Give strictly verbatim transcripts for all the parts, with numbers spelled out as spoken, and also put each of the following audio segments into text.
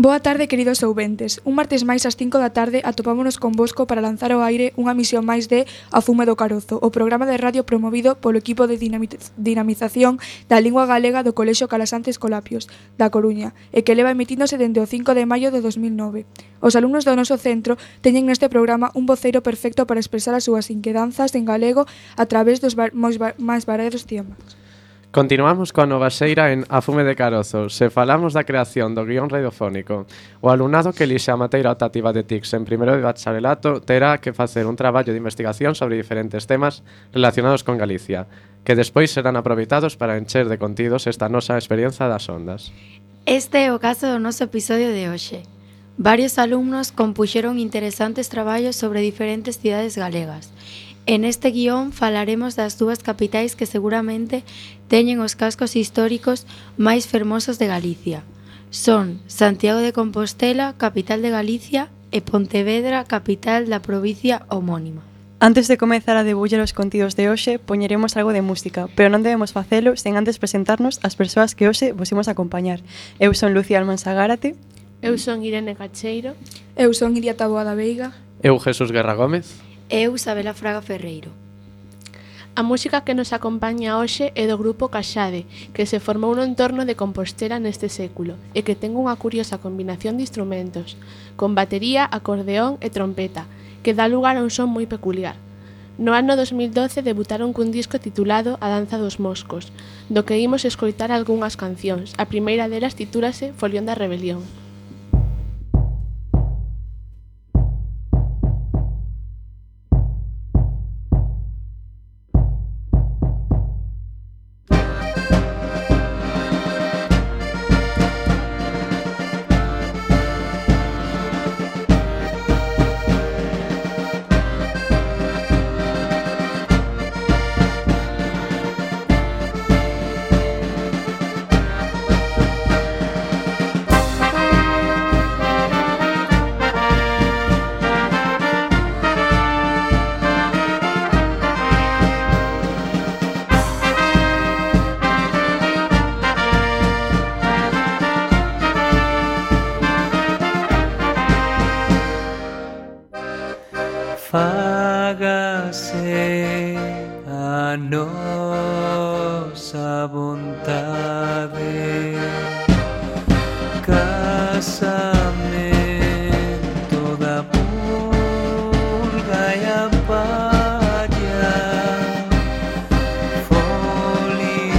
Boa tarde, queridos ouventes. Un martes máis ás cinco da tarde atopámonos convosco para lanzar ao aire unha misión máis de A Fume do Carozo, o programa de radio promovido polo equipo de dinamización da lingua galega do Colexio Calasantes Colapios, da Coruña, e que leva emitíndose dende o cinco de maio de dos mil nove. Os alumnos do noso centro teñen neste programa un voceiro perfecto para expresar as súas inquedanzas en galego a través dos máis variados temas. Continuamos coa nova xeira en A Fume de Carozo. Se falamos da creación do guión radiofónico, o alumnado que elixe a materia optativa de T I C S en primeiro de bacharelato terá que facer un traballo de investigación sobre diferentes temas relacionados con Galicia, que despois serán aproveitados para encher de contidos esta nosa experiencia das ondas. Este é o caso do noso episodio de hoxe. Varios alumnos compuxeron interesantes traballos sobre diferentes cidades galegas. En este guión falaremos das dúas capitais que seguramente teñen os cascos históricos máis fermosos de Galicia. Son Santiago de Compostela, capital de Galicia, e Pontevedra, capital da provincia homónima. Antes de comezar a debullar os contidos de hoxe, poñeremos algo de música, pero non debemos facelo sen antes presentarnos as persoas que hoxe vos imos acompañar. Eu son Lucía Almansa Gárate. Eu son Irene Cacheiro. Eu son Iria Taboada Veiga. Eu Jesús Guerra Gómez. Eu, Isabela Fraga Ferreiro. A música que nos acompaña hoxe é do grupo Caxade, que se formou no entorno de Compostela neste século e que ten unha curiosa combinación de instrumentos, con batería, acordeón e trompeta, que dá lugar a un son moi peculiar. No ano dos mil doce debutaron cun disco titulado A Danza dos Moscos, do que imos escoitar algunhas cancións. A primeira delas titúlase Folión da Rebelión. Fágase a nosa vontade, casamento da purga e a palla, folión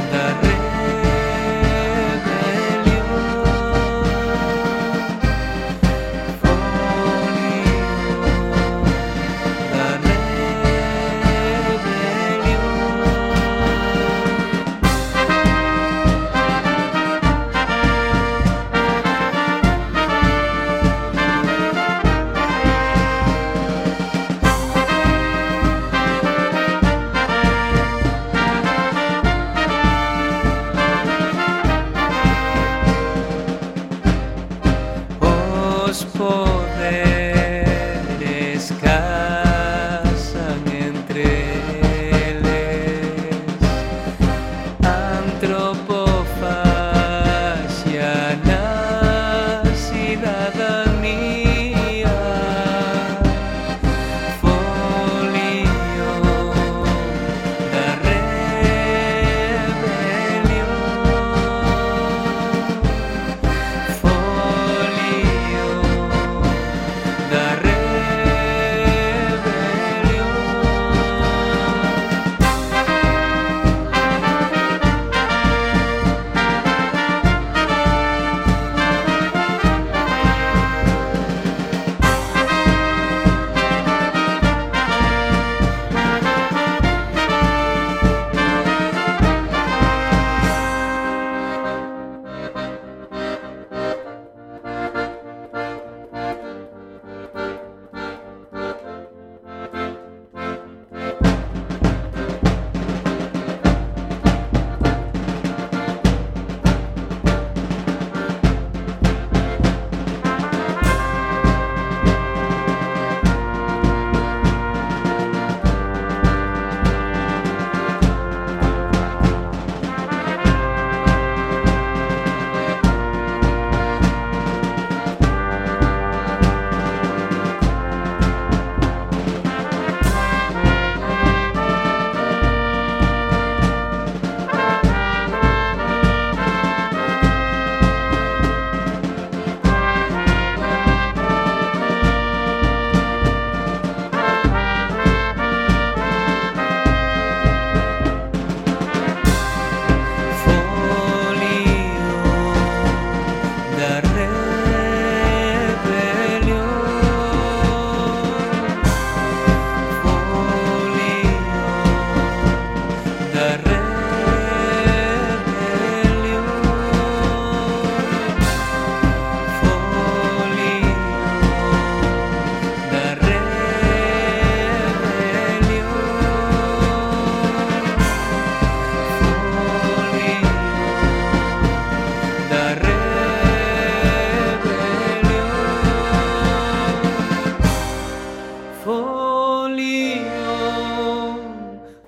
da rebelión, os poderes casan entre eles, antropofaxia na cidadanía, folión da rebelión, folión da rebelión.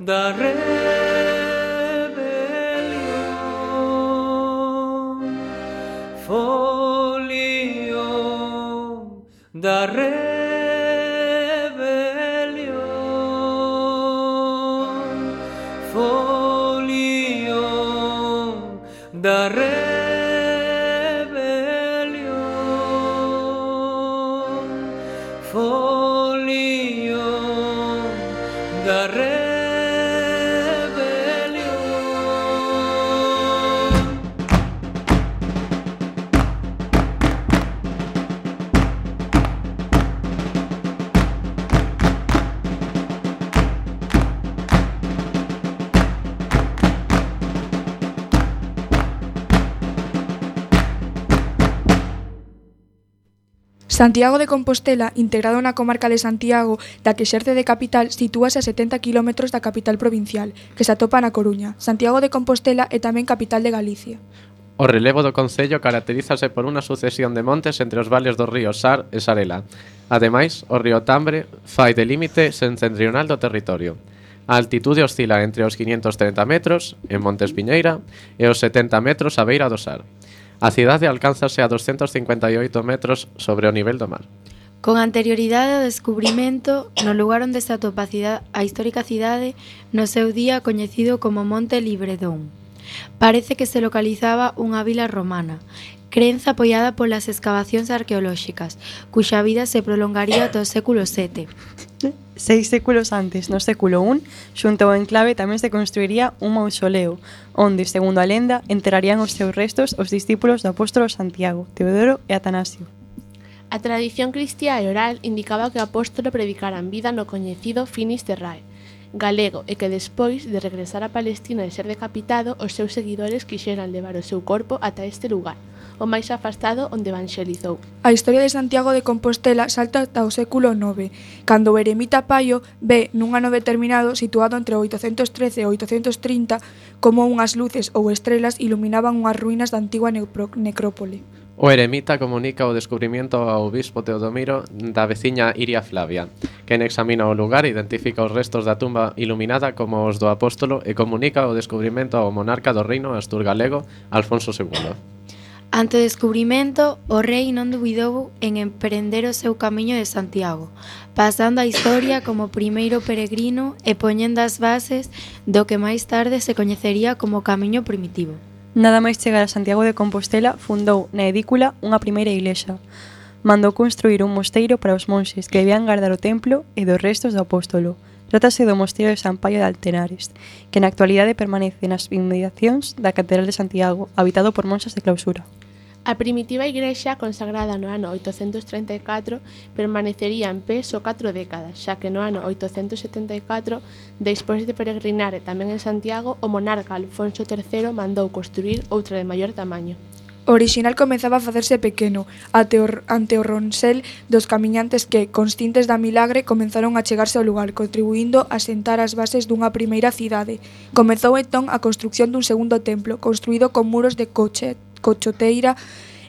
da rebelión, folión da rebelión, folión da rebelión, folión da rebelión. Santiago de Compostela, integrado na comarca de Santiago, da que exerce de capital, sitúase a setenta kilómetros da capital provincial, que se atopa na Coruña. Santiago de Compostela é tamén capital de Galicia. O relevo do concello caracterízase por unha sucesión de montes entre os vales dos ríos Sar e Sarela. Ademais, o río Tambre fai de límite setentrional do territorio. A altitude oscila entre os quinhentos trinta metros, en Montes Piñeira, e os setenta metros á beira do Sar. A cidade alcánzase a doscientos cincuenta e oito metros sobre o nivel do mar. Con anterioridade ao descubrimento, no lugar onde se atopa a, cidade, a histórica cidade, no seu día coñecido como Monte Libredón. Parece que se localizaba unha vila romana, crenza apoiada polas escavacións arqueolóxicas, cuxa vida se prolongaría ata o século sete. Seis séculos antes, no século un, xunto ao enclave tamén se construiría un mausoleo, onde, segundo a lenda, enterrarían os seus restos os discípulos do apóstolo Santiago, Teodoro e Atanasio. A tradición cristiá e oral indicaba que o apóstolo predicara en vida no coñecido Finis Terrae, galego, e que despois de regresar a Palestina e ser decapitado, os seus seguidores quixeran levar o seu corpo ata este lugar, o máis afastado onde evanxelizou. A historia de Santiago de Compostela salta ata o século nove, cando o eremita Paio ve nun ano determinado, situado entre o oitocentos trece e o oitocentos trinta, como unhas luces ou estrelas iluminaban unhas ruínas da antigua necrópole. O eremita comunica o descubrimento ao bispo Teodomiro da veciña Iria Flavia, quen examina o lugar e identifica os restos da tumba iluminada como os do apóstolo e comunica o descubrimento ao monarca do reino astur-galego Alfonso segundo. Ante o descubrimento, o rei non dubidou en emprender o seu camiño de Santiago, pasando a historia como primeiro peregrino e poñendo as bases do que máis tarde se coñecería como Camiño Primitivo. Nada máis chegar a Santiago de Compostela, fundou na edícula unha primeira iglesia. Mandou construir un mosteiro para os monxes que debían guardar o templo e dos restos do apóstolo. Trátase do mosteiro de San Paio de Altenares, que na actualidade permanece nas inmediacións da Catedral de Santiago, habitado por monxas de clausura. A primitiva igrexa, consagrada no ano oitocentos trinta e catro, permanecería en pé só catro décadas, xa que no ano oitocentos setenta e catro, despois de peregrinar tamén en Santiago, o monarca Alfonso terceiro mandou construir outra de maior tamaño. O orixinal comezaba a facerse pequeno, ante o, ante o ronsel dos camiñantes que, conscientes da milagre, comenzaron a chegarse ao lugar, contribuindo a sentar as bases dunha primeira cidade. Comezou entón a construción dun segundo templo, construído con muros de coche, cochoteira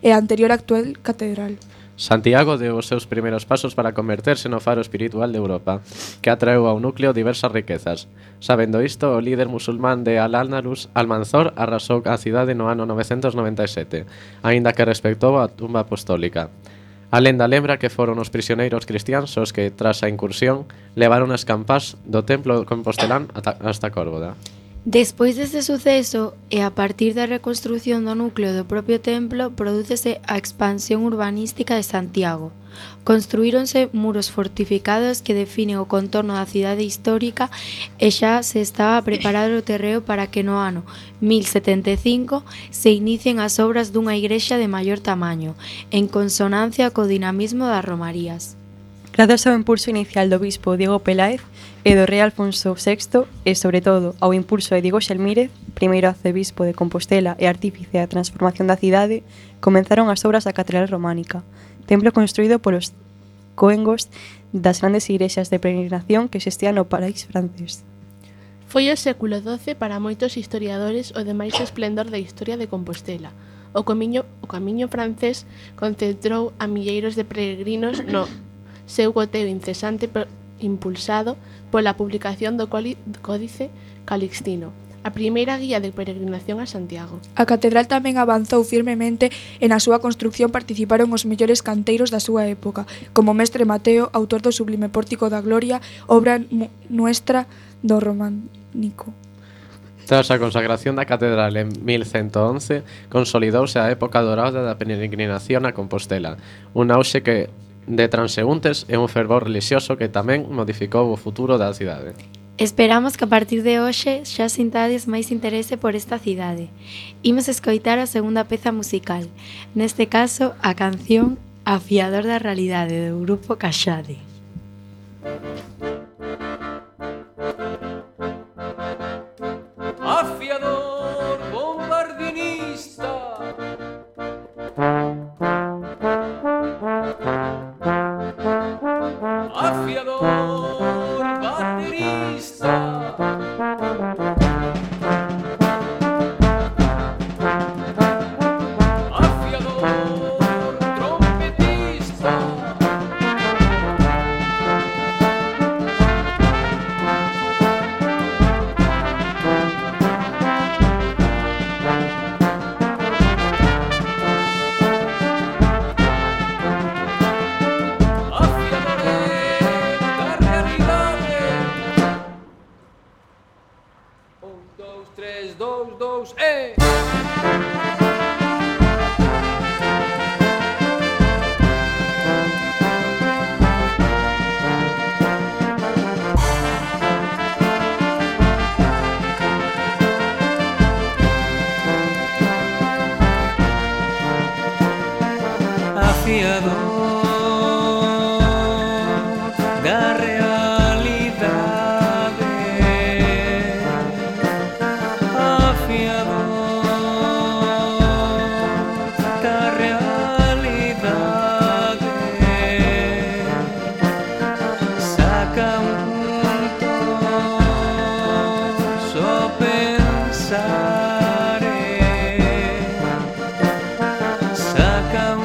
e a anterior actual catedral. Santiago deu os seus primeiros pasos para converterse no faro espiritual de Europa, que atraeu ao núcleo diversas riquezas. Sabendo isto, o líder musulmán de Al-Ándalus, Almanzor, arrasou a cidade no ano novecentos noventa e sete, aínda que respectou a tumba apostólica. A lenda lembra que foron os prisioneiros cristiáns os que, tras a incursión, levaron as campás do templo compostelán hasta Córdoba. Despois deste suceso, e a partir da reconstrución do núcleo do propio templo, prodúcese a expansión urbanística de Santiago. Construíronse muros fortificados que definen o contorno da cidade histórica e xa se estaba a preparar o terreo para que no ano mil setenta e cinco se inicien as obras dunha igrexa de maior tamaño, en consonancia co dinamismo das romarías. Grazas ao impulso inicial do bispo Diego Peláez e do rei Alfonso sexto e, sobre todo, ao impulso de Diego Xelmírez, primeiro arcebispo de Compostela e artífice da transformación da cidade, comenzaron as obras da Catedral Románica, templo construído polos coengos das grandes igrexas de peregrinación que existían no país francés. Foi o século doce para moitos historiadores o de máis esplendor da historia de Compostela. O camiño, o camiño francés concentrou a milleiros de peregrinos no seu goteo incesante impulsado pola publicación do Códice Calixtino, a primeira guía de peregrinación a Santiago. A catedral tamén avanzou firmemente e na súa construción participaron os mellores canteiros da súa época, como Mestre Mateo, autor do sublime Pórtico da Gloria, obra nuestra do románico. Tras a consagración da catedral en mil cento once, consolidouse a época dorada da peregrinación a Compostela, un auxe que de transeúntes e un fervor religioso que tamén modificou o futuro da cidade. Esperamos que a partir de hoxe xa sintades máis interese por esta cidade. Imos escoitar a segunda peza musical, neste caso a canción Afiador da Realidade do grupo Caxade. Afiador bombardinista, afiador baterista, afiador trompetista, tres, dos, dos, eh! Afiador da realidade, afiador da realidade, saca un só pensare, saca un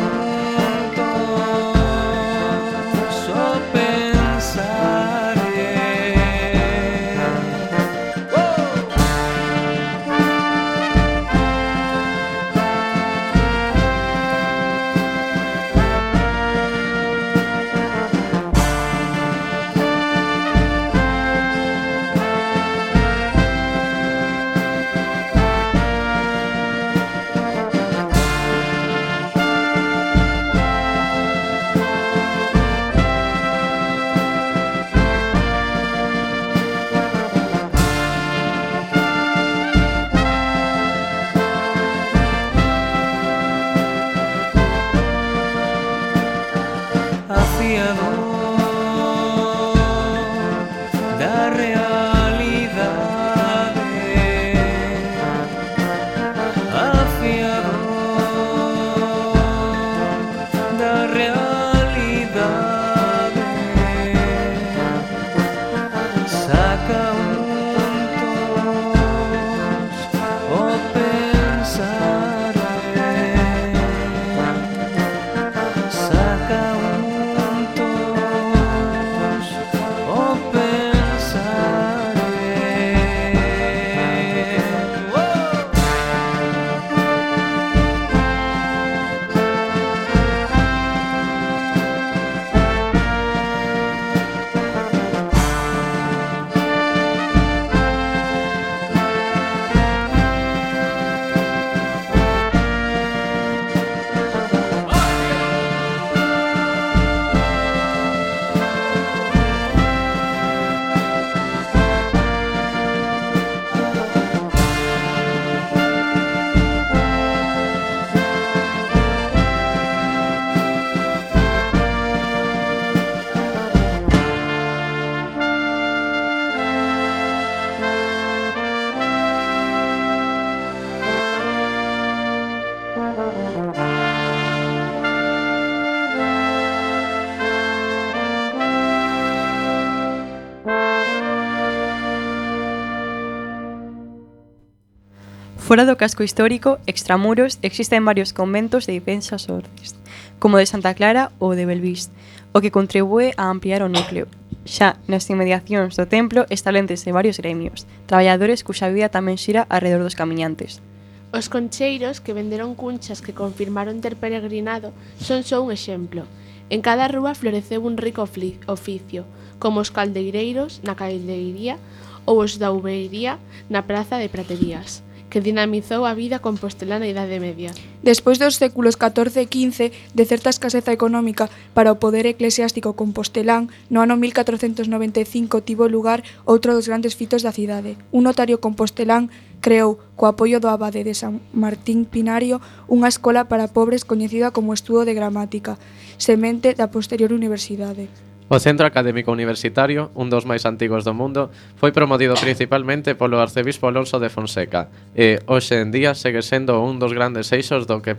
Fora do casco histórico, extramuros, existen varios conventos de diversas ordes, como o de Santa Clara ou de Belvís, o que contribúe a ampliar o núcleo. Xa nas inmediacións do templo establécense varios gremios, traballadores cuxa vida tamén xira alrededor dos camiñantes. Os concheiros que venderon cunchas que confirmaron ter peregrinado son só un exemplo. En cada rúa floreceu un rico oficio, como os caldeireiros na caldeiría ou os da uveiría na praza de Praterías, que dinamizou a vida compostelá na Idade Media. Despois dos séculos catorce e quince, de certa escaseza económica para o poder eclesiástico compostelán, no ano mil catrocentos noventa e cinco tivo lugar outro dos grandes fitos da cidade. Un notario compostelán creou, co apoio do abade de San Martín Pinario, unha escola para pobres coñecida como Estudo de Gramática, semente da posterior universidade. O Centro Académico Universitario, un dos máis antigos do mundo, foi promovido principalmente polo arcebispo Alonso de Fonseca e, hoxe en día, segue sendo un dos grandes eixos do que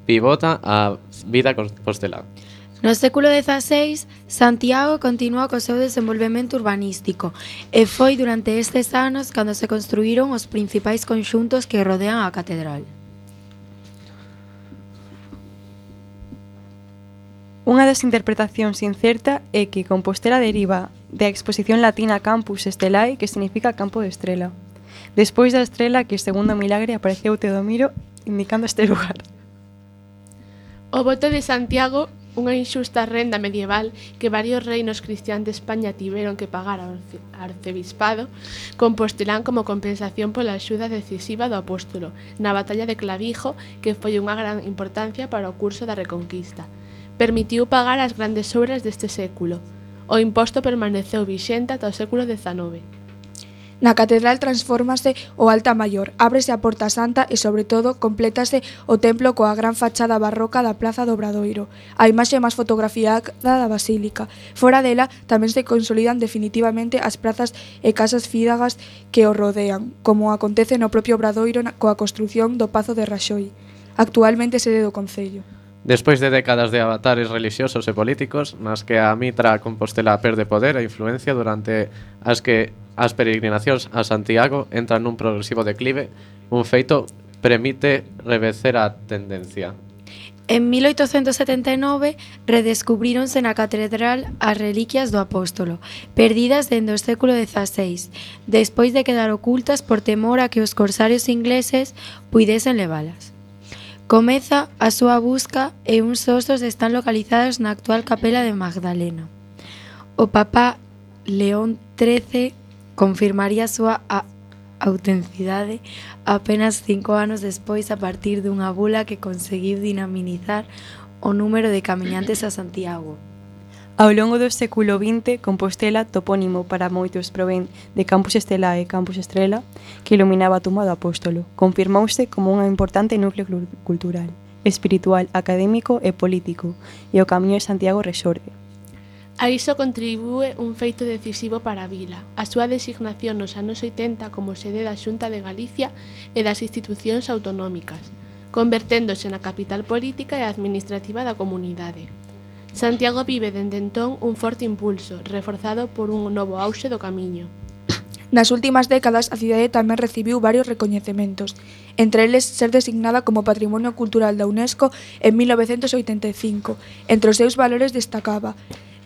pivota a vida compostelá. No século dezaseis, Santiago continúa co seu desenvolvemento urbanístico e foi durante estes anos cando se construíron os principais conxuntos que rodean a catedral. Unha das interpretacións incerta é que Compostela deriva da exposición latina Campus Stellae, que significa campo de estrela. Despois da estrela que, segundo o milagre, apareceu Teodomiro indicando este lugar. O voto de Santiago, unha inxusta renda medieval que varios reinos cristiáns de España tiveron que pagar ao arcebispado, compostelán como compensación pola axuda decisiva do apóstolo na batalla de Clavijo, que foi unha gran importancia para o curso da Reconquista. Permitiu pagar as grandes obras deste século. O imposto permaneceu vixente ata o século dezanove. Na catedral transfórmase o altar maior, ábrese a Porta Santa e, sobre todo, complétase o templo coa gran fachada barroca da Praza do Obradoiro, a imaxe máis fotografiada da basílica. Fora dela tamén se consolidan definitivamente as prazas e casas fídagas que o rodean, como acontece no propio Obradoiro coa construción do Pazo de Raxoi, actualmente sede do Concello. Despois de décadas de avatares relixiosos e políticos, nas que a mitra compostelá perde poder e influencia durante as que as peregrinacións a Santiago entran nun progresivo declive, un feito permite reverter a tendencia. En mil oitocentos setenta e nove redescubríronse na catedral as reliquias do apóstolo, perdidas dende o século dezaseis, despois de quedar ocultas por temor a que os corsarios ingleses puidesen levalas. Comeza a súa busca e uns ostos están localizados na actual capela de Magdalena. O Papa León trece confirmaría a súa a autenticidade apenas cinco anos despois a partir dunha bula que conseguiu dinamizar o número de camiñantes a Santiago. Ao longo do século vinte, Compostela, topónimo para moitos provén de Campus Stellae e Campus Estrela, que iluminaba a tumba do apóstolo, confirmouse como un importante núcleo cultural, espiritual, académico e político, e o Camiño de Santiago resorte. A iso contribúe un feito decisivo para a vila, a súa designación nos anos oitenta como sede da Xunta de Galicia e das institucións autonómicas, converténdose na capital política e administrativa da comunidade. Santiago vive dende entón un forte impulso, reforzado por un novo auxe do camiño. Nas últimas décadas, a cidade tamén recibiu varios recoñecementos, entre eles ser designada como Patrimonio Cultural da UNESCO en mil novecentos oitenta e cinco. Entre os seus valores destacaba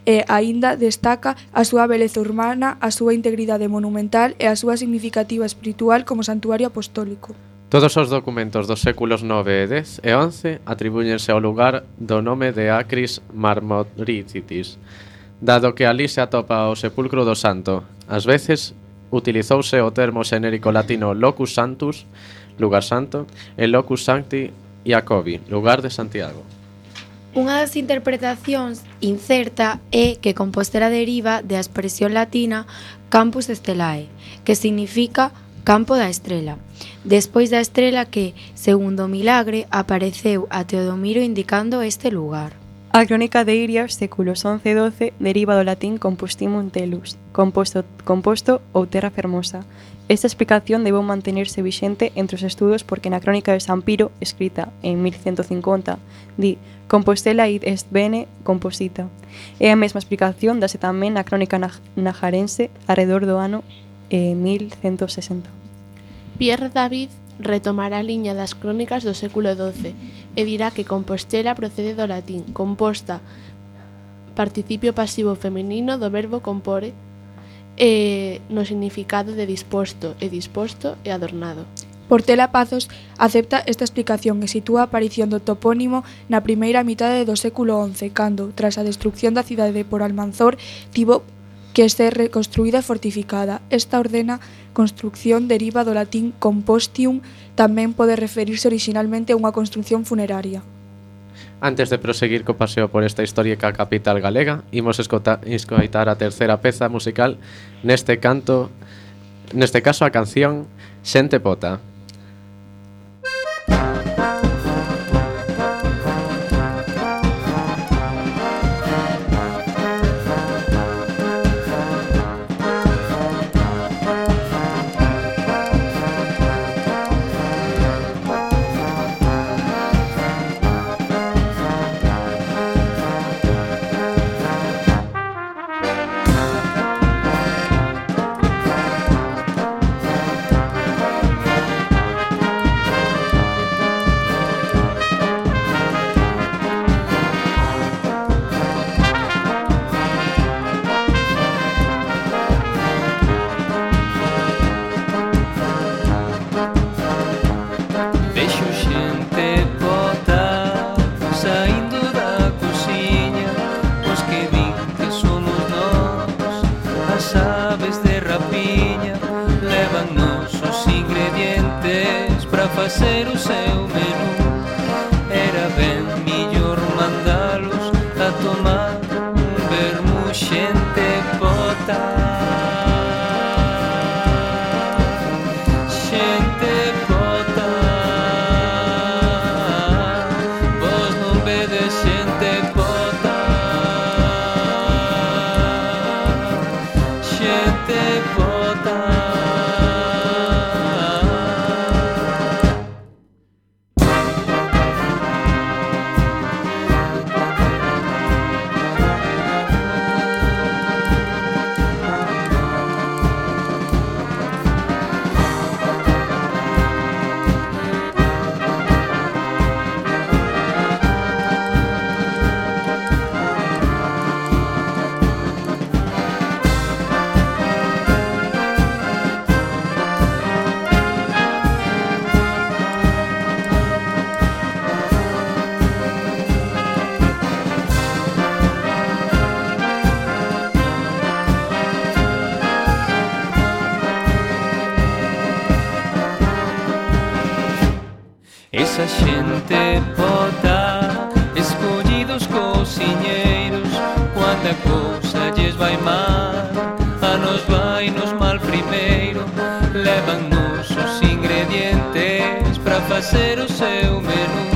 e aínda destaca a súa beleza urbana, a súa integridade monumental e a súa significativa espiritual como santuario apostólico. Todos os documentos dos séculos nove e dez e once atribúñense ao lugar do nome de Acris Marmoricitis, dado que ali se atopa o sepulcro do santo. Ás veces utilizouse o termo xenérico latino locus santus, lugar santo, e locus sancti Iacobi, lugar de Santiago. Unha das interpretacións incerta é que Compostela deriva da expresión latina Campus Stellae, que significa campo da estrela, despois da estrela que, segundo o milagre, apareceu a Teodomiro indicando este lugar. A crónica de Iria, séculos once e doce, deriva do latín compostimum telus, composto, composto ou terra fermosa. Esta explicación debeu mantenerse vixente entre os estudos porque na crónica de San Piro, escrita en mil ciento cincuenta, di Compostela id est bene composita. E a mesma explicación dase tamén na crónica najarense arredor do ano eh, mil ciento sesenta. Pierre David retomará a liña das crónicas do século doce e dirá que Compostela procede do latín composta participio pasivo feminino do verbo compore e no significado de disposto e disposto e adornado. Portela Pazos acepta esta explicación e sitúa a aparición do topónimo na primeira mitade do século once, cando, tras a destrucción da cidade por Almanzor, tivo que ser reconstruída e fortificada. Esta ordena construcción deriva do latín compostium, tamén pode referirse orixinalmente a unha construcción funeraria. Antes de proseguir co paseo por esta histórica capital galega, imos escota, escoitar a terceira peza musical neste canto, neste caso a canción Xente Pota. Facer o seu menú era ben millor mandalos a tomar un vermú xente pota. Xente pota, vos non vedes xente pota. Xente pota. Esa xente pota, escollidos cociñeiros, cuando a cousa lles vai mal, a nos vai nos mal primeiro, levan-nos os ingredientes para facer o seu menú.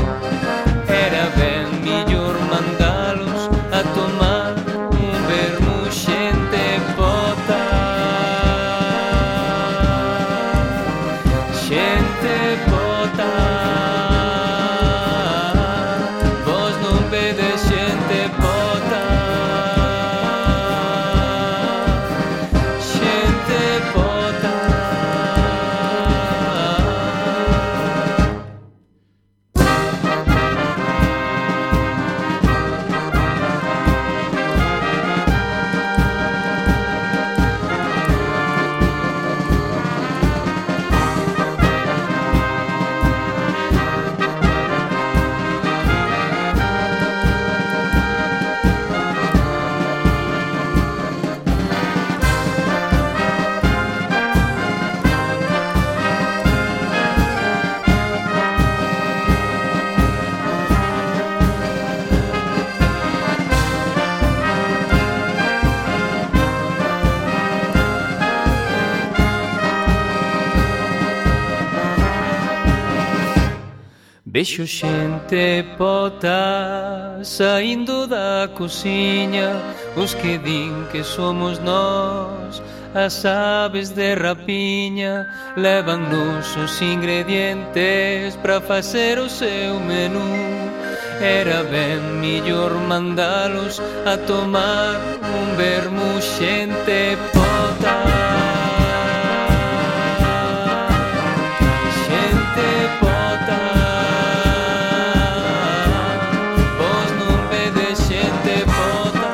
Era ben millor mandalos a tomar un vermú xente pota. Xente pota, vos non vedes xente pota. Xente pota. Vexo xente pota saindo da cociña, os que din que somos nós, as aves de rapiña, levan-nos os ingredientes para facer o seu menú. Era ben millor mandalos a tomar un vermú xente pota. Xente pota. Xente pota.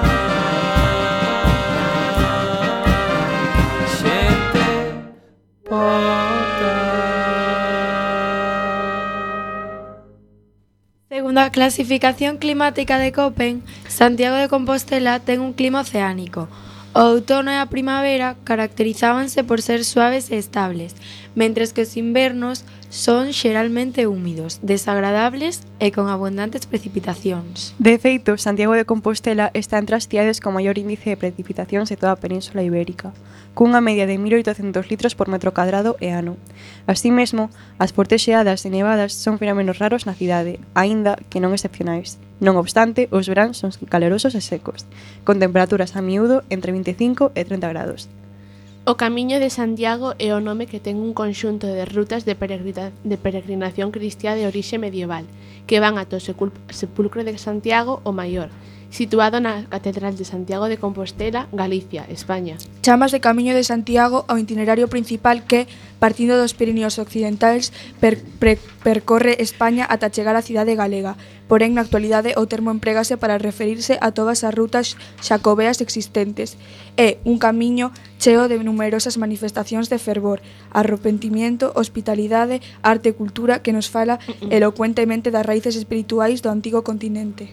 Segundo a clasificación climática de Köppen, Santiago de Compostela ten un clima oceánico. O outono e a primavera caracterizábanse por ser suaves e estables, mentres que os invernos son xeralmente húmidos, desagradables e con abundantes precipitacións. De feito, Santiago de Compostela está entre as cidades con maior índice de precipitacións de toda a Península Ibérica, cunha media de mil oitocentos litros por metro cadrado e ano. Así mesmo, as fortes xeadas e nevadas son fenómenos raros na cidade, aínda que non excepcionais. Non obstante, os veráns son calorosos e secos, con temperaturas a miúdo entre vinte e cinco e trinta grados. O Camiño de Santiago é o nome que ten un conxunto de rutas de, peregrina, de peregrinación cristiá de orixe medieval, que van ata o Sepulcro de Santiago o Maior, situado na Catedral de Santiago de Compostela, Galicia, España. Chamas de Camiño de Santiago ao itinerario principal que, partindo dos Pirineos occidentais, per, per, percorre España ata chegar á cidade galega. Porén, na actualidade, o termo empregase para referirse a todas as rutas xacobeas existentes. É un camiño cheo de numerosas manifestacións de fervor, arrepentimiento, hospitalidade, arte e cultura que nos fala elocuentemente das raíces espirituais do antigo continente.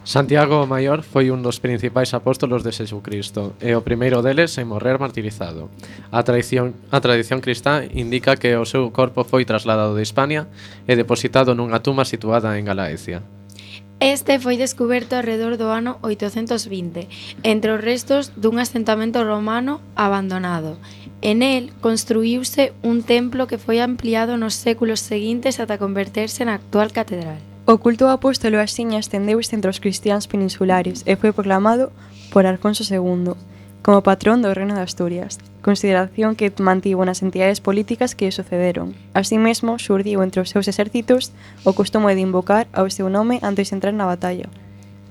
Santiago o Maior foi un dos principais apóstolos de Xesucristo e o primeiro deles en morrer martirizado. A tradición, a tradición cristá indica que o seu corpo foi trasladado de Hispania e depositado nunha tumba situada en Galaecia. Este foi descuberto alrededor do ano oitocentos vinte, entre os restos dun asentamento romano abandonado. En el construíuse un templo que foi ampliado nos séculos seguintes ata converterse na actual catedral. O culto ao apóstolo axiña estendeuse entre os cristiáns peninsulares e foi proclamado por Alfonso segundo como patrón do Reino de Asturias, consideración que mantivo nas entidades políticas que lle sucederon. Así mesmo, xurdiu entre os seus exércitos o costume de invocar ao seu nome antes de entrar na batalla.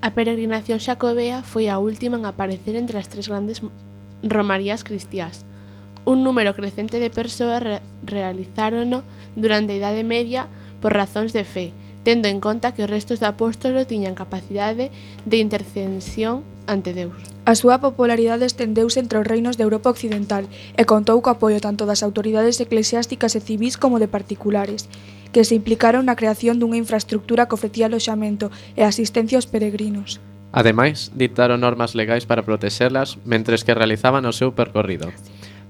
A peregrinación xacobea foi a última en aparecer entre as tres grandes romarías cristiás. Un número crecente de persoas re realizárono durante a Idade Media por razóns de fe, tendo en conta que os restos do apóstolo tiñan capacidade de intercesión ante Deus. A súa popularidade estendeuse entre os reinos de Europa Occidental e contou co apoio tanto das autoridades eclesiásticas e civís como de particulares, que se implicaron na creación dunha infraestructura que ofrecía aloxamento e asistencia aos peregrinos. Ademais, dictaron normas legais para protexelas mentres que realizaban o seu percorrido.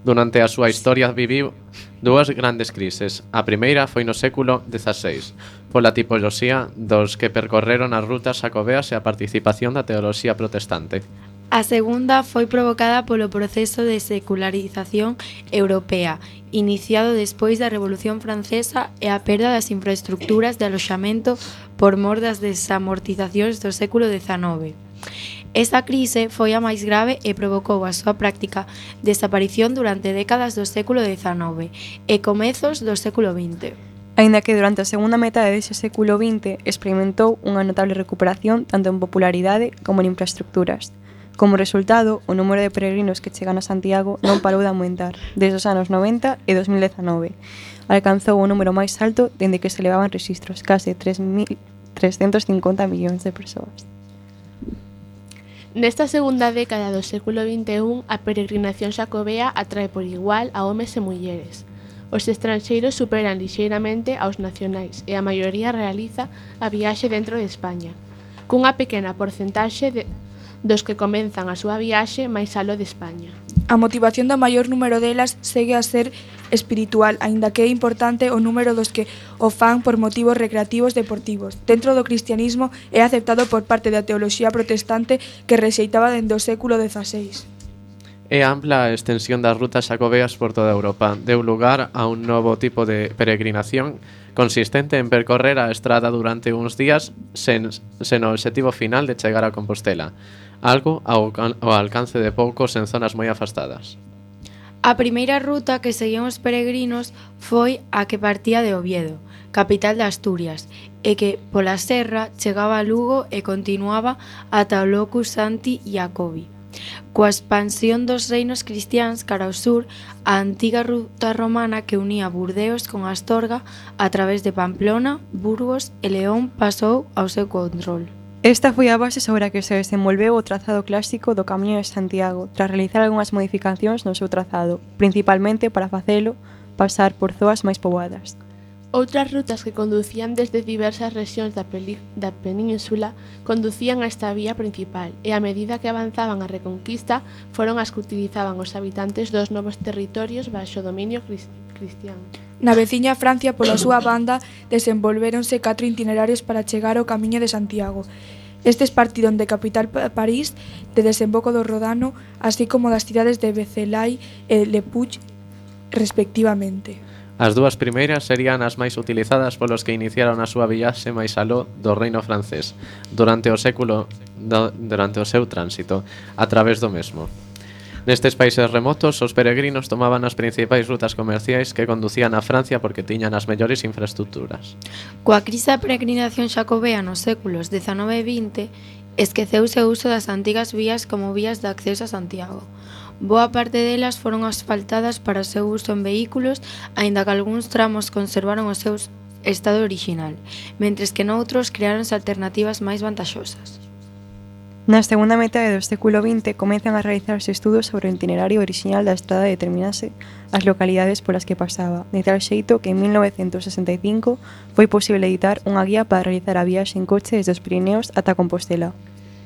Durante a súa historia viviu dúas grandes crises. A primeira foi no século dezaseis, pola tipoloxía dos que percorreron as rutas xacobeas e a participación da teoloxía protestante. A segunda foi provocada polo proceso de secularización europea, iniciado despois da Revolución Francesa e a perda das infraestructuras de aloxamento por mor das desamortizacións do século dezanove. Esta crise foi a máis grave e provocou a súa práctica desaparición durante décadas do século dezanove e comezos do século vinte. Aínda que durante a segunda metade dese século vinte experimentou unha notable recuperación tanto en popularidade como en infraestructuras. Como resultado, o número de peregrinos que chegan a Santiago non parou de aumentar desde os anos noventa e dos mil dezanove. Alcanzou o número máis alto dende que se levaban registros, case tres mil trescentos cincuenta millóns de persoas. Nesta segunda década do século vinte e un, a peregrinación xacobea atrae por igual a homes e mulleres. Os estranxeiros superan lixeiramente aos nacionais e a maioría realiza a viaxe dentro de España, cunha pequena porcentaxe de, dos que comenzan a súa viaxe máis aló de España. A motivación do maior número delas segue a ser espiritual, aínda que é importante o número dos que o fan por motivos recreativos deportivos. Dentro do cristianismo é aceptado por parte da teoloxía protestante que rexeitaba dende o século dezaseis. É ampla a extensión das rutas xacobeas por toda Europa. Deu lugar a un novo tipo de peregrinación consistente en percorrer a estrada durante uns días sen, sen o obxectivo final de chegar a Compostela, algo ao, ao alcance de poucos en zonas moi afastadas. A primeira ruta que seguían os peregrinos foi a que partía de Oviedo, capital de Asturias, e que, pola serra, chegaba a Lugo e continuaba ata o Locus Sancti Iacobi. Coa expansión dos reinos cristiáns cara ao sur, a antiga ruta romana que unía Burdeos con Astorga a través de Pamplona, Burgos e León pasou ao seu control. Esta foi a base sobre a que se desenvolveu o trazado clásico do Camiño de Santiago, tras realizar algunhas modificacións no seu trazado, principalmente para facelo pasar por zoas máis poboadas. Outras rutas que conducían desde diversas rexións da, peli, da península conducían a esta vía principal e a medida que avanzaban a Reconquista foron as que utilizaban os habitantes dos novos territorios baixo dominio cristián. Na veciña Francia, pola súa banda, desenvolvéronse catro itinerarios para chegar ao Camiño de Santiago. Estes partiron de capital París, de desemboco do Rodano, así como das cidades de Vézelay e Le Puig, respectivamente. As dúas primeiras serían as máis utilizadas polos que iniciaron a súa viaxe máis aló do reino francés durante o século do, durante o seu tránsito a través do mesmo. Nestes países remotos, os peregrinos tomaban as principais rutas comerciais que conducían a Francia porque tiñan as mellores infraestructuras. Coa crise da peregrinación xacobea nos séculos dezanove e vinte, esqueceuse o uso das antigas vías como vías de acceso a Santiago. Boa parte delas foron asfaltadas para o seu uso en vehículos, aínda que algúns tramos conservaron o seu estado original, mentres que noutros creáronse alternativas máis vantaxosas. Na segunda metade do século vinte comezan a realizarse estudos sobre o itinerario original da estrada e determinase as localidades polas que pasaba, de tal xeito que en mil novecentos sesenta e cinco foi posible editar unha guía para realizar a viaxe en coche desde os Pirineos ata Compostela.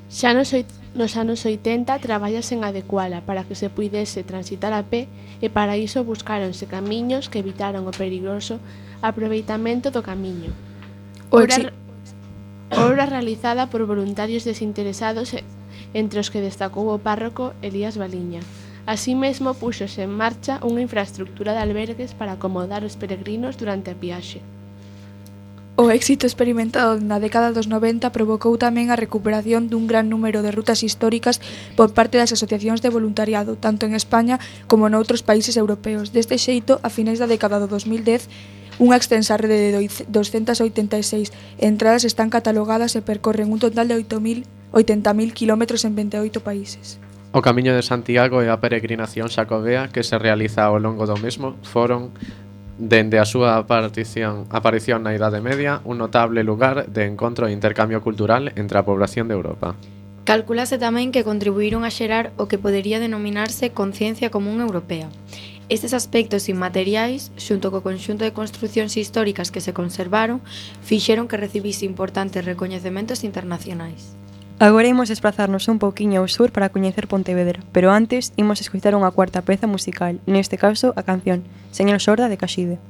Xa nos, nos anos oitenta traballase en adecuala para que se puidese transitar a pé e para iso buscáronse camiños que evitaron o perigoso aproveitamento do camiño. Obra, obra realizada por voluntarios desinteresados, entre os que destacou o párroco Elías Baliña. Así mesmo púxose en marcha unha infraestructura de albergues para acomodar os peregrinos durante a viaxe. O éxito experimentado na década dos noventa provocou tamén a recuperación dun gran número de rutas históricas por parte das asociacións de voluntariado, tanto en España como noutros países europeos. Deste xeito, a finais da década do dos mil dez, unha extensa rede de doscientas oitenta e seis entradas están catalogadas e percorren un total de oitenta mil kilómetros en vinte e oito países. O Camiño de Santiago e a peregrinación xacobea que se realiza ao longo do mesmo foron, dende a súa aparición, aparición na Idade Media, un notable lugar de encontro e intercambio cultural entre a población de Europa. Calculase tamén que contribuíron a xerar o que podería denominarse conciencia común europea. Estes aspectos inmateriais, xunto co conxunto de construcións históricas que se conservaron, fixeron que recibise importantes recoñecementos internacionais. Agora imos desplazarnos un pouquiño ao sur para coñecer Pontevedra, pero antes imos escoitar unha cuarta peza musical, neste caso a canción Señor Sorda de Caxide.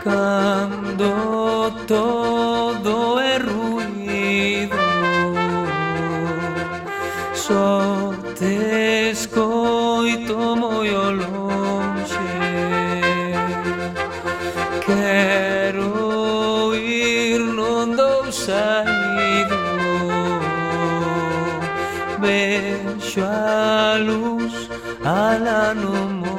cando todo é ruído, só te escoito moi ao lonxe. Quero ir, non dou saído, vexo a luz alá no monte.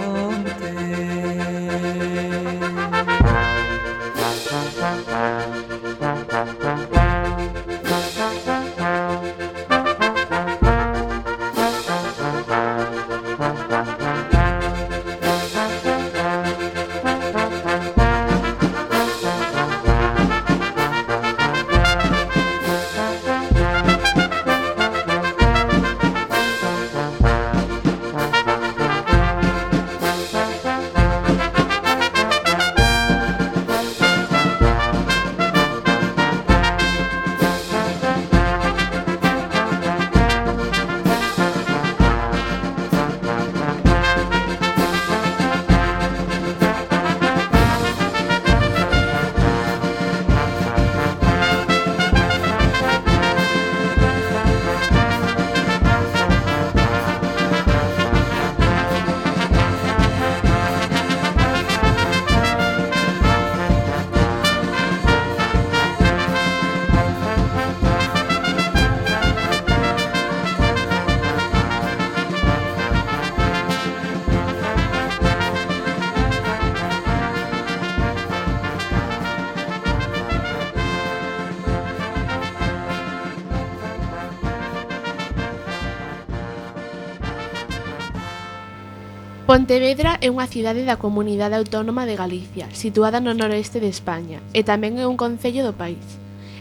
Pontevedra é unha cidade da Comunidade Autónoma de Galicia, situada no noroeste de España, e tamén é un concello do país.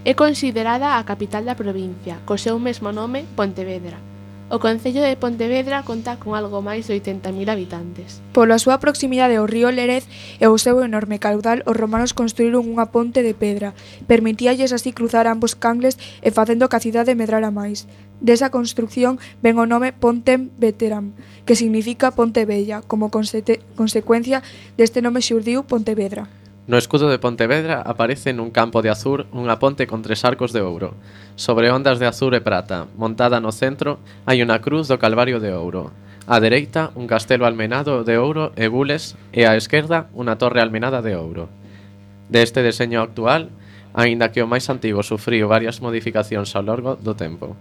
É considerada a capital da provincia, co seu mesmo nome, Pontevedra. O concello de Pontevedra conta con algo máis de oitenta mil habitantes. Pola súa proximidade ao río Lérez e o seu enorme caudal, os romanos construíron unha ponte de pedra. Permitíalles así cruzar ambos cangles e facendo que a cidade medrara máis. Desa construcción ven o nome Pontem Veteram, que significa Ponte Bella. Como consete- consecuencia deste nome xurdiu Pontevedra. No escudo de Pontevedra aparece nun campo de azur unha ponte con tres arcos de ouro. Sobre ondas de azur e prata, montada no centro, hai unha cruz do Calvario de ouro. Á dereita, un castelo almenado de ouro e gules, e á esquerda, unha torre almenada de ouro. Deste deseño actual, aínda que o máis antigo sufriu varias modificacións ao longo do tempo.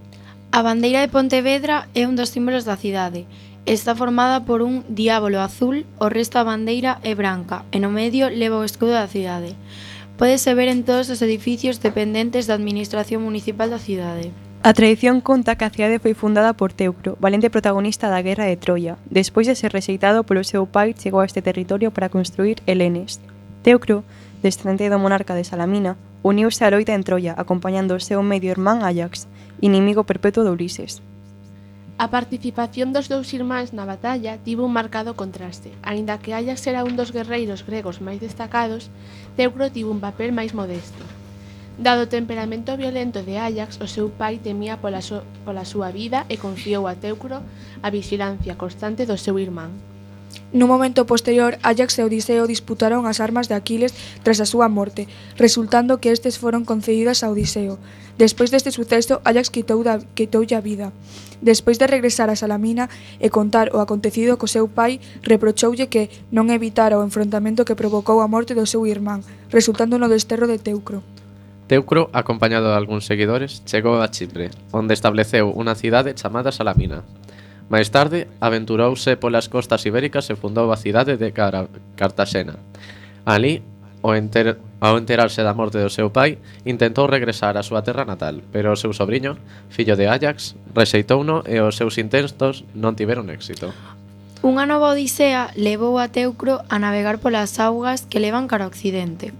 A bandeira de Pontevedra é un dos símbolos da cidade. Está formada por un diábolo azul, o resto da bandeira é branca e no medio leva o escudo da cidade. Pódese ver en todos os edificios dependentes da administración municipal da cidade. A tradición conta que a cidade foi fundada por Teucro, valente protagonista da Guerra de Troia. Despois de ser rexeitado polo seu pai, chegou a este territorio para construir Helenes. Teucro, descendente do monarca de Salamina, uniuse á loita en Troia, acompañando o seu medio irmán Áyax, inimigo perpetuo de Ulises. A participación dos dous irmáns na batalla tivo un marcado contraste. Aínda que Áyax era un dos guerreiros gregos máis destacados, Teucro tivo un papel máis modesto. Dado o temperamento violento de Áyax, o seu pai temía pola, so, pola súa vida e confiou a Teucro a vixilancia constante do seu irmán. Nun momento posterior, Áyax e Odiseo disputaron as armas de Aquiles tras a súa morte, resultando que estes foron concedidas a Odiseo. Despois deste suceso, Áyax quitou da, quitoulle a vida. Despois de regresar a Salamina e contar o acontecido co seu pai, reprochoulle que non evitara o enfrontamento que provocou a morte do seu irmán, resultando no desterro de Teucro. Teucro, acompañado de algúns seguidores, chegou a Chipre, onde estableceu unha cidade chamada Salamina. Máis tarde, aventurouse polas costas ibéricas e fundou a cidade de Cara- Cartaxena. Ali, ao, enter, ao enterarse da morte do seu pai, intentou regresar á súa terra natal, pero o seu sobriño, fillo de Áyax, rexeitouno e os seus intentos non tiveron éxito. Unha nova odisea levou a Teucro a navegar polas augas que levan cara ao occidente.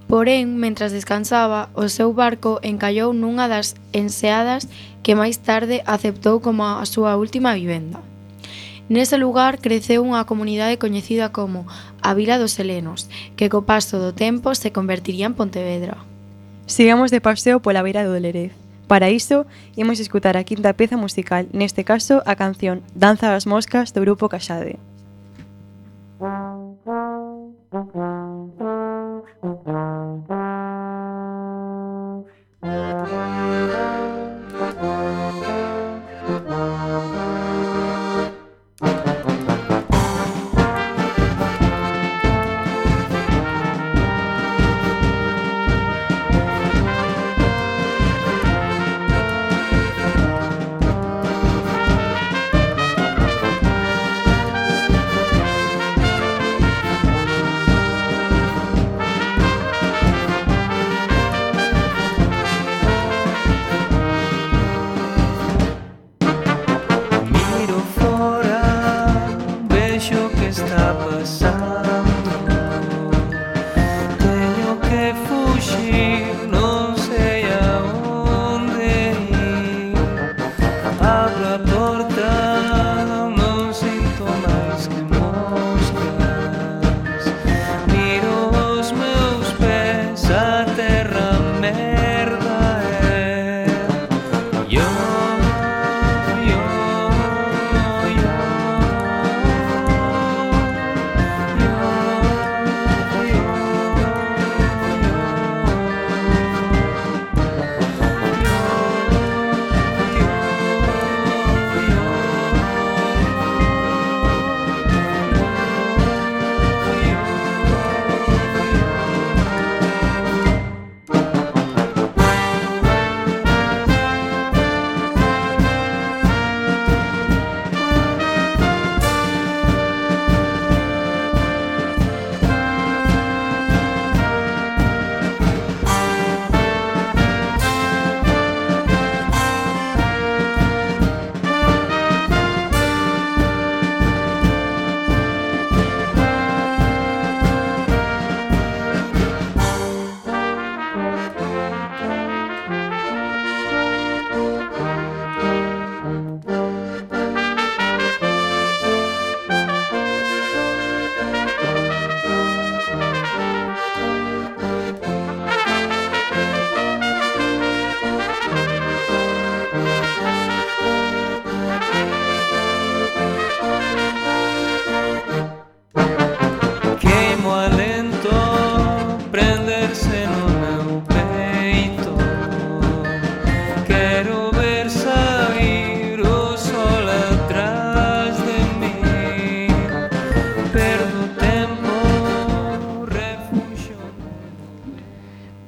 Porén, mentras descansaba, o seu barco encallou nunha das enseadas que máis tarde aceptou como a súa última vivenda. Nese lugar creceu unha comunidade coñecida como a Vila dos Helenos, que co paso do tempo se convertiría en Pontevedra. Sigamos de paseo pola beira do Lérez. Para iso, imos escutar a quinta peza musical, neste caso a canción Danza das Moscas do grupo Caxade.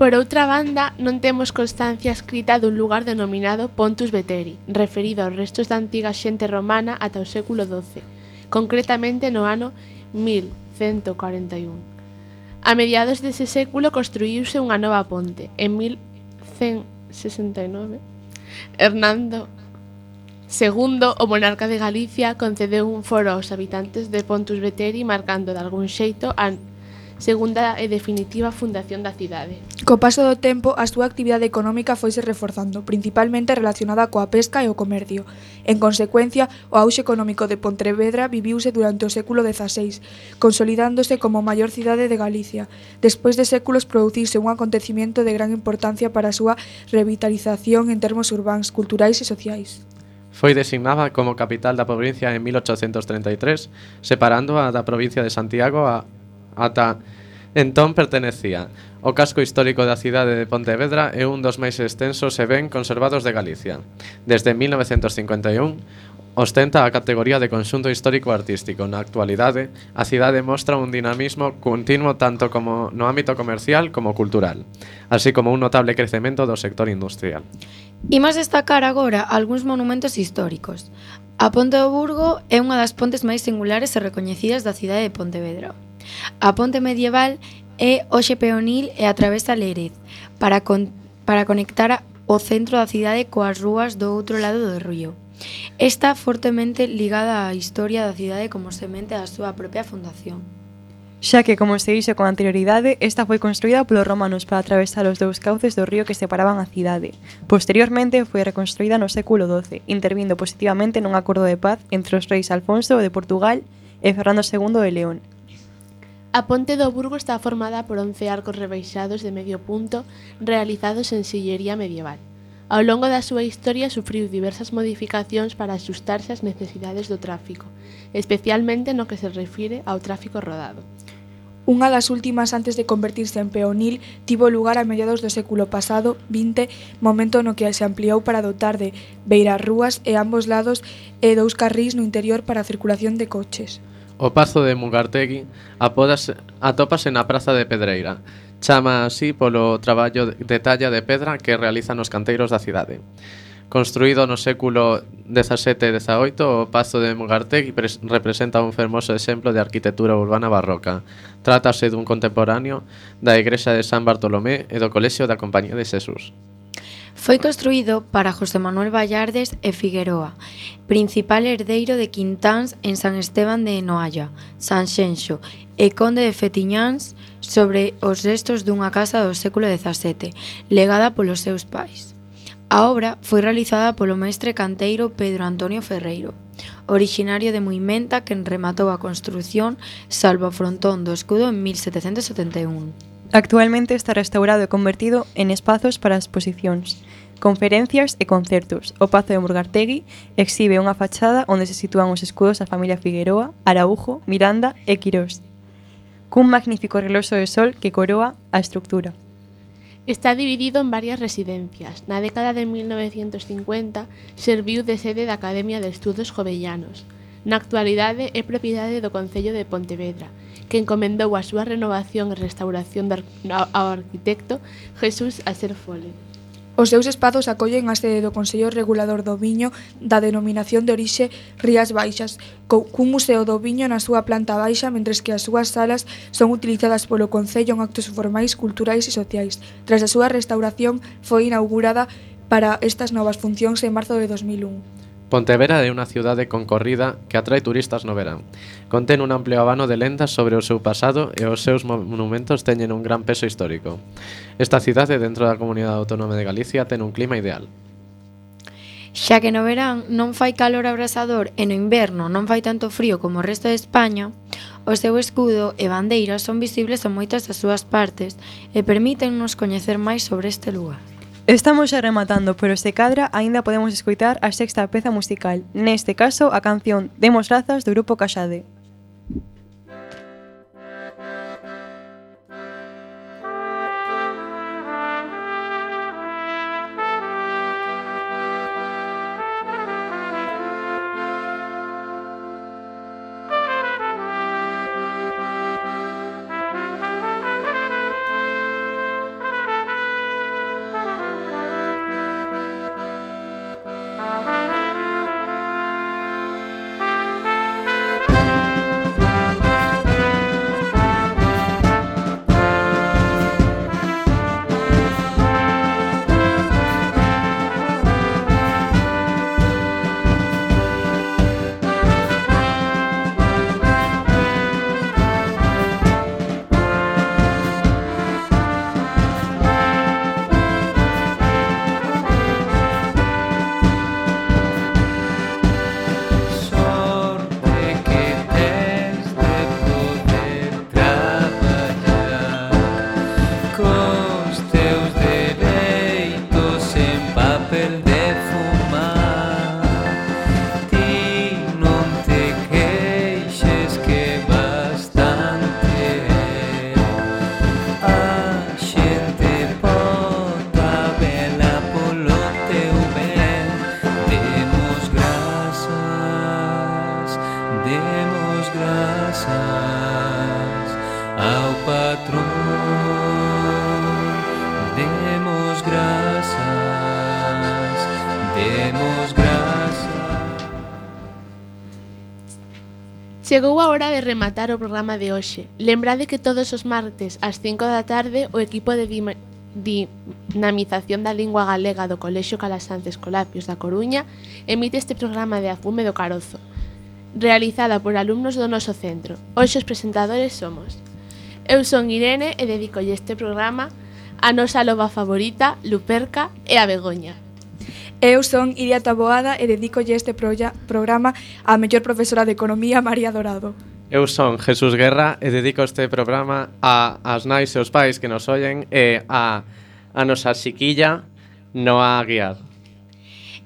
Por outra banda, non temos constancia escrita dun lugar denominado Pontus Veteri, referido aos restos da antiga xente romana ata o século doce, concretamente no ano mil cento cuarenta e un. A mediados dese século construíuse unha nova ponte. En mil cento sesenta e nove, Hernando segundo, o monarca de Galicia, concedeu un foro aos habitantes de Pontus Veteri, marcando de algún xeito a segunda e definitiva fundación da cidade. Co paso do tempo, a súa actividade económica foise reforzando, principalmente relacionada coa pesca e o comercio. En consecuencia, o auxe económico de Pontevedra viviuse durante o século dezaseis, consolidándose como a maior cidade de Galicia. Despois de séculos produciuse un acontecimiento de gran importancia para a súa revitalización en termos urbáns, culturais e sociais. Foi designada como capital da provincia en mil oitocentos treinta e tres, separándoa da provincia de Santiago a, ata entón pertenecía. O casco histórico da cidade de Pontevedra é un dos máis extensos e ben conservados de Galicia. Desde mil novecentos cincuenta e un, ostenta a categoría de conxunto histórico-artístico. Na actualidade, a cidade mostra un dinamismo continuo tanto como no ámbito comercial como cultural, así como un notable crecemento do sector industrial. Imos destacar agora algúns monumentos históricos. A Ponte do Burgo é unha das pontes máis singulares e recoñecidas da cidade de Pontevedra. A ponte medieval é hoxe peonil e atravesa Lérez para, con, para conectar o centro da cidade coas rúas do outro lado do río. Está fortemente ligada á historia da cidade como semente da súa propia fundación. Xa que, como se dixo con anterioridade, esta foi construída polos romanos para atravesar os dous cauces do río que separaban a cidade. Posteriormente foi reconstruída no século doce, intervindo positivamente nun acordo de paz entre os reis Alfonso de Portugal e Fernando segundo de León. A Ponte do Burgo está formada por once arcos rebaixados de medio punto realizados en sillería medieval. Ao longo da súa historia sufriu diversas modificacións para axustarse ás necesidades do tráfico, especialmente no que se refire ao tráfico rodado. Unha das últimas antes de convertirse en peonil tivo lugar a mediados do século pasado, vinte, momento no que se ampliou para dotar de beirarrúas e ambos lados e dous carrís no interior para a circulación de coches. O Pazo de Mugartegui apódase, atópase na Praza de Pedreira. Chama así polo traballo de talla de pedra que realizan os canteiros da cidade. Construído no século dezasete e dezaoito, o Pazo de Mugartegui representa un fermoso exemplo de arquitectura urbana barroca. Trátase dun contemporáneo da igrexa de San Bartolomé e do Colexio da Compañía de Xesús. Foi construído para José Manuel Vallardes e Figueroa, principal herdeiro de Quintáns en San Esteban de Noalla, Sanxenxo e conde de Fetiñáns, sobre os restos dunha casa do século dezasete, legada polos seus pais. A obra foi realizada polo mestre canteiro Pedro Antonio Ferreiro, originario de Muimenta, quen rematou a construción salvo o frontón do escudo en mil setecentos setenta e un. Actualmente está restaurado e convertido en espazos para exposicións, conferencias e concertos. O Pazo de Mugartegui exhibe unha fachada onde se sitúan os escudos da familia Figueroa, Araújo, Miranda e Quirós, cun magnífico reloxo de sol que coroa a estructura. Está dividido en varias residencias. Na década de mil novecentos cincuenta serviu de sede da Academia de Estudos Jovellanos. Na actualidade é propiedade do Concello de Pontevedra, que encomendou a súa renovación e restauración ao arquitecto Jesús Aserfole. Os seus espazos acollen a sede do Consello Regulador do Viño da denominación de orixe Rías Baixas, cun museo do viño na súa planta baixa, mentres que as súas salas son utilizadas polo Concello en actos formais, culturais e sociais. Tras a súa restauración, foi inaugurada para estas novas funcións en marzo de dos mil un. Pontevedra é unha cidade concorrida que atrae turistas no verán. Contén un amplio abano de lendas sobre o seu pasado e os seus monumentos teñen un gran peso histórico. Esta cidade, dentro da Comunidade Autónoma de Galicia, ten un clima ideal. Xa que no verán non fai calor abrasador e no inverno non fai tanto frío como o resto de España, o seu escudo e bandeiras son visibles en moitas das súas partes e permítennos coñecer máis sobre este lugar. Estamos xa rematando, pero se cadra aínda podemos escoitar a sexta peza musical, neste caso a canción Demos Grazas do grupo Caxade. Chegou a hora de rematar o programa de hoxe. Lembrade que todos os martes ás cinco da tarde o equipo de Dima- Dinamización da Lingua Galega do Colexio Calasantes Colapios da Coruña emite este programa de A Fume do Carozo, realizada por alumnos do noso centro. Hoxe os presentadores somos eu son Irene e dedicolle este programa a nosa loba favorita, Luperca, e a Begoña. Eu son Iria Taboada e dedicolle este proya- programa á mellor profesora de Economía, María Dorado. Eu son Jesús Guerra e dedico este programa a as nais e os pais que nos ollen e a, a nosa xiquilla Noa Aguiar.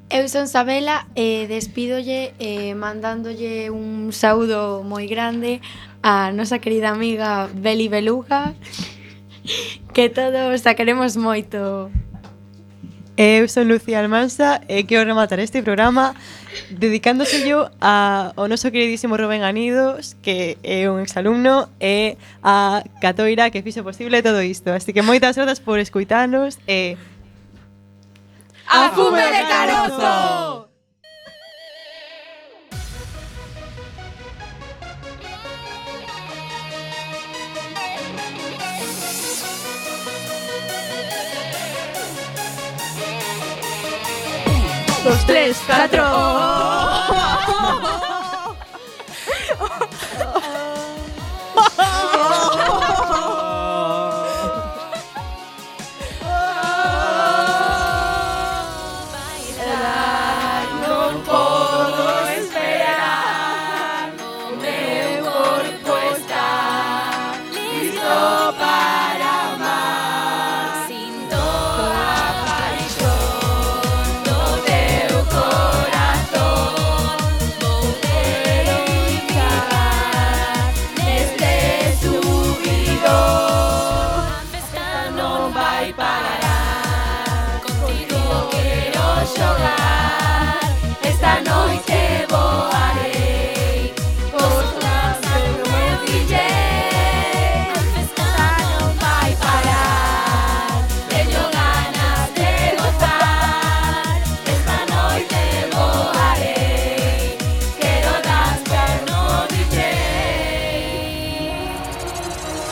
Eu son Sabela e despídolle eh, mandándolle un saúdo moi grande a nosa querida amiga Beli Beluga, que todos a queremos moito. Eu son Lucía Almansa e quero rematar este programa dedicándose yo a, ao noso queridísimo Rubén Anidos, que é un exalumno, e a Catoira, que fixo posible todo isto. Así que moitas grazas por escuitarnos e... A fume de carozo! Dos, tres, catro...